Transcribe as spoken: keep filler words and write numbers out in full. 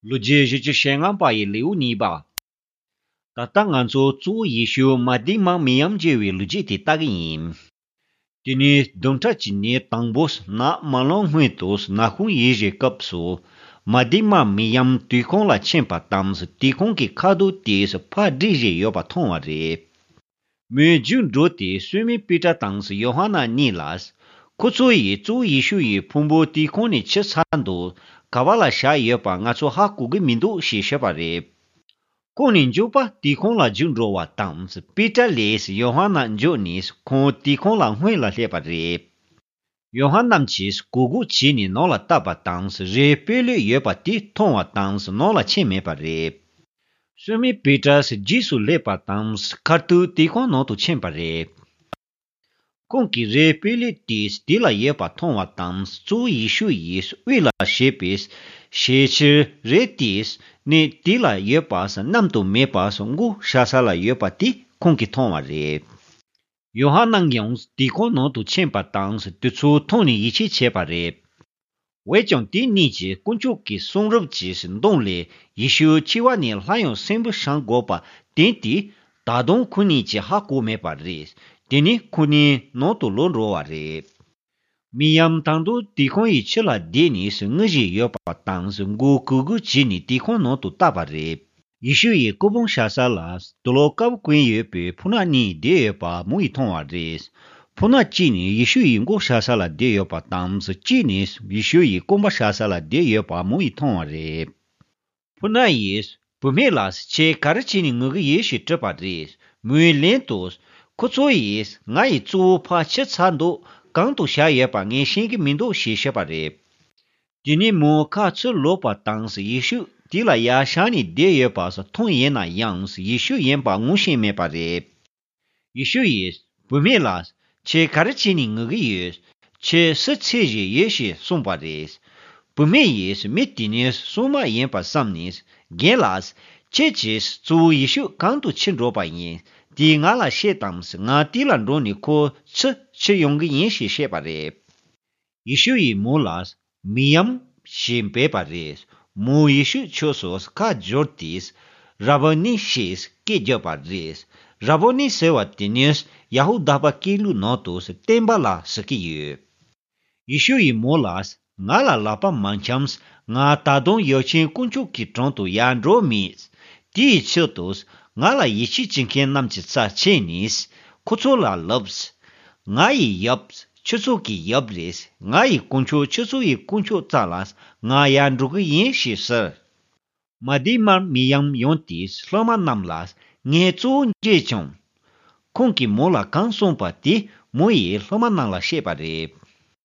ལོ་རྒྱུས་བཞི་བཅུ་ཞེ་ལྔ་པ་ཡི་ལེའུ་གཉིས་པ། ད་ལྟ་ང་ཚོ་གཙོ་བོ་ཡེ་ཤུ་མ་དེ་མ་མི་ཡམ་བརྗེ་བའི་ལོ་རྒྱུས་དེ་ལྟ་གི་ཡིན། དེ་ནས་བདུན་ཕྲག་གཅིག་ནས་དང་པོ་ནག་མ་ལངས་སྔོན་དུ་ནག་ཁུང་ཡལ་བཞིན་སྐབས་སུ། མ་དེ་མ་མི་ཡམ་དུད་ཁང་ལ་ཕྱིན་པ་དང་དུད་ཁང་གི་ཁ་གཏོར་དེས་ཕར་བསྒྲིགས་བཞིན་ཡོད་པ་མཐོང་བ་རེད། མོས་རྒྱུགས་འགྲོ་སྟེ་སི་མོན་པེ་ཏྲ་དང་ཡོ་ཧ་ནན་གཉིས་ལ། ཁོ་ཚོ་ཡིས་གཙོ་བོ་ཡེ་ཤུ་ཡི་ཕུང་པོ་དུད་ཁང་ནས་ཕྱིར་ཚར་འདུག་ག་བ་ལ་བཞག་ཡོད་པ་ང་ཚོ་ཧ་གོ་གི་མི་འདུག་ཞེས་བཤད་པ་རེད། ཁོང་ནི་མགྱོགས་པ་དུད་ཁང་ལ་རྒྱུགས་འགྲོ་བ་དང་པེ་ཏྲ་ལས་ཡོ་ཧ་ནན་མགྱོགས་ནས་ཁོང་དུད་ཁང་ལ་སྔོན་ལ་སླེབས་པ་རེད། ཡོ་ཧ་ནན་གྱིས་གུག་གུག་བྱས་ནས་ནང་ལ་བལྟས་པ་དང་རས་སྤོས་ལོད་ཡོད་པ་དེ་མཐོང་བ་དང་ནང་ལ་ཕྱིན་མེད་པ་རེད། སི་མོན་པེ་ཏྲ་རྗེས་སུ་སླེབས་པ་དང་ཁ་ཐུག་དུད་ཁང་ནང་དུ་ཕྱིན་པ་རེད། ཁོང་གིས་རས་སྤོས་ལོད་དེ་དེ་ལ་ཡོད་པ་མཐོང་བ་དང་གཙོ་བོ་ཡེ་ཤུ་ཡིས་དབུས་ལ་བཞེས་པའི་ཞལ་ཕྱེ་རས་དེ་ནི་དེ་ལ་ཡོད་པ་བསྣམས་དུ་མེད་པ་མགོ་བཞག་ས་ལ་ཡོད་པ་དེ་ཁོང་གིས་མཐོང་བ་རེད། ཡོ་ཧ་ནན་ཡང་དུད་ཁང་ནང་དུ་ཕྱིན་པ་དང་དེ་ཚོ་མཐོང་ནས་ཡིད་ཆེས་བྱས་པ་རེད། འོན་ཀྱང་དེ་གཉིས་ཀྱིས་དཀོན་མཆོག་གི་གསུང་རབ་ཀྱི་གདོང་ལས་ཡེ་ཤུ་འཆི་བ་ནས་སླར་ཡང་གསོན་པོར་བྱང་དགོས་པ་བསྟན་ཏེ། ད་དུང་ཁོ་གཉིས་ཀྱིས་ཧ་གོ་མེད་པ་རེད། དེ་ནས་ཁོ་གཉིས་ནང་དུ་ལོག་འགྲོ་བ་རེད། མི་ཡམ་ད་དུང་དུད་ཁང་ཡི་ཕྱི་ལ་བསྡད་ནས་ངུ་བཞིན་ཡོད་པ་དང་མགོ་གུག་གུག་བྱས་ནས་དུད་ཁང་ནང་དུ་བཏབ་པ་རེད། ཡེ་ཤུ་ཡི་སྐུ་འབུམ་བཞག་ས་ལ་དུག་ལོག་དཀར་པོ་གྱོན་ཡོད་པའི་ཕོ་ཉ་གཉིས་བསྡད་ཡོད་པ་མོ་ཡིས་མཐོང་བ་རེད། ཕོ་ཉ་གཅིག་ནི་ཡེ་ཤུ་ཡི་མགོ་བཞག་ས་ལ་བསྡད་ཡོད་པ་དང་གཅིག་ནི་ཡེ་ཤུ་ཡི་རྐང་པ་བཞག་ས་ལ་བསྡད་ཡོད་པ་མོ་ཡིས་མཐོང་བ་རེད། ཕོ་ཉ་ཡིས་བུད་མེད་ལགས་ཁྱེད་ག་རེ་བྱས་ནས་ངུ་གི་ཡོད་ཞེས་དྲིས་པ་རེད། མོས་ལན་དུ། ཁོ་ཚོ་ཡིས་ང་ཡི་གཙོ་བོ་ཕར་ཕྱིར་ཚར་འདུག་གང་དུ་བཞག་ཡོད་པ་ངས་ཤེས་ཀྱི་མི་འདུག་ཞེས་བཤད་པ་རེད། དེ་ནས་མོ་ཁ་ཚུར་ལོག་པ་དང་ཡེ་ཤུ་དེ་ལ་ཡར་བཞེངས་ནས་བསྡད་ཡོད་པ་མཐོང་ཡིན་ན་ཡང་ཡེ་ཤུ་ཡིན་པ་ངོ་ཤེས་མེད་པ་རེད། ཡེ་ཤུ་ཡིས་བུད་མེད་ལགས་ཁྱེད་ག་རེ་བྱས་ནས་ངུ་གི་ཡོད། ཁྱེད་སུ་འཚོལ་བཞིན་ཡོད་ཞེས་གསུངས་པ་རེད། བུད་མེད་ཡིས་མི་དེ་ནི་སྲུང་མ་ཡིན་པ་བསམ་ནས་རྒན་ལགས་ཁྱེད་ཀྱིས་གཙོ་བོ་ཡེ་ཤུ་གང་དུ་ཁྱེར་འགྲོ་བ་ཡིན་དེ་ང་ལ་བཤད་དང་ང་དེ་ལ་འགྲོ་ནས་ཁོ་ཚུར་ཁྱེར་ཡོང་གི་ཡིན་ཞེས་བཤད་པ་རེད། ཡེ་ཤུ་ཡིས་མོ་ལ་མི་ཡམ་ཞེས་འབོད་པ་རེད། མོ་ཡེ་ཤུ་ཕྱོགས་སུ་ཁ་བསྒྱུར་ཏེ་ར་བོ་ནི་ཞེས་སྐད་བརྒྱབ་པ་རེད། ར་བོ་ནི་ཟེར་བ་དེ་ནི་ཡ་ཧུ་དཱ་པ་སྐད་ལུགས་ནང་དུ་བསྟན་པ་ལ་ཟེར་གྱི་ཡོད། ཡེ་ཤུ་ཡིས་མོ་ལ་ང་ལ་ལག་པ་མ་འཆང་། ང་ད་དུང་ཡབ་ཆེན་དཀོན་མཆོག་གི་དྲུང་དུ་ཡར་འགྲོ་མེད། དེའི་ཕྱིར་དུ་ང་ལ་ཡིད་ཆེས་བྱེད་མཁན་རྣམས་ཀྱི་རྩར་ཕྱིན་ནས་ཁོ་ཚོ་ལ་ལབ། ང་ཡི་ཡབ་ཁྱོད་ཚོ་གི་ཡབ་རེད། ང་ཡི་དཀོན་མཆོག་ཁྱོད་ཚོ་ཡི་དཀོན་མཆོག་རྩ་ལ་ང་ཡར་འགྲོ་གི་ཡིན་ཞེས་ཟེར། མ་དེ་མར་མི་ཡམ་ཡོང་སྟེ་སློབ་མ་རྣམས་ལ་ངས་གཙོ་བོ་མཇལ་བྱུང་། ཁོང་གིས་མོ་ལ་གང་གསུངས་པ་དེ་མོ་ཡིས་སློབ་མ་རྣམས་ལ་བཤད་པ་རེད།